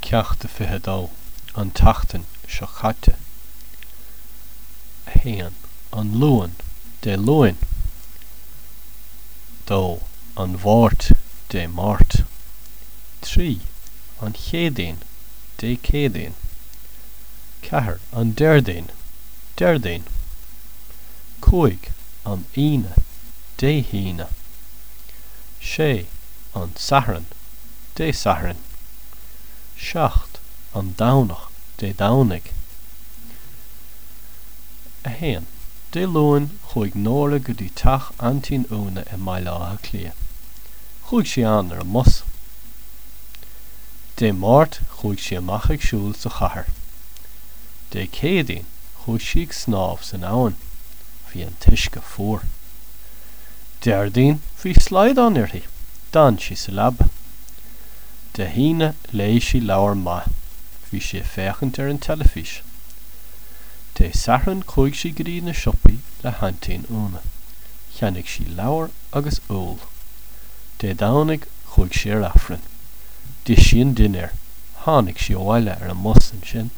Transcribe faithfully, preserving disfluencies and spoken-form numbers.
Ceacht a fiche a dó, An tseachtain seo caite. a haon, An Luan, Dé Luain. dó, An Mháirt, Dé Máirt. trí, An Chéadaoin, Dé Céadaoin. ceathair, An Déardaoin, Déardaoin. cúig, An Aoine, Dé hAoine. sé, An Satharn, Dé Sathairn. seacht, An Domhnach, Dé Domhnaigh. a haon, Dé Luain chuaigh Nóra go dtí teach Aintín Úna i mBaile Átha Cliath. Chuaigh sí ann ar an mbus. Dé Máirt chuaigh sí amach ag siúl sa chathair. Dé Céadaoin chuaigh sí ag snámh san abhainn. Bhí an t-uisce fuar. Déardaoin bhí slaghdán uirthi. D'fhan sí sa leaba. Dé hAoine léigh sí leabhar maith. Bhí sí ag féachaint ar an teilifís. Dé Sathairn chuaigh sí go dtí na siopaí le hAintín Úna. Cheannaigh sí leabhar agus úll. Dé Domhnaigh chuaigh sí ar Aifreann. D'ith sí an dinnéar. Tháinig sí abhaile ar an mbus ansin.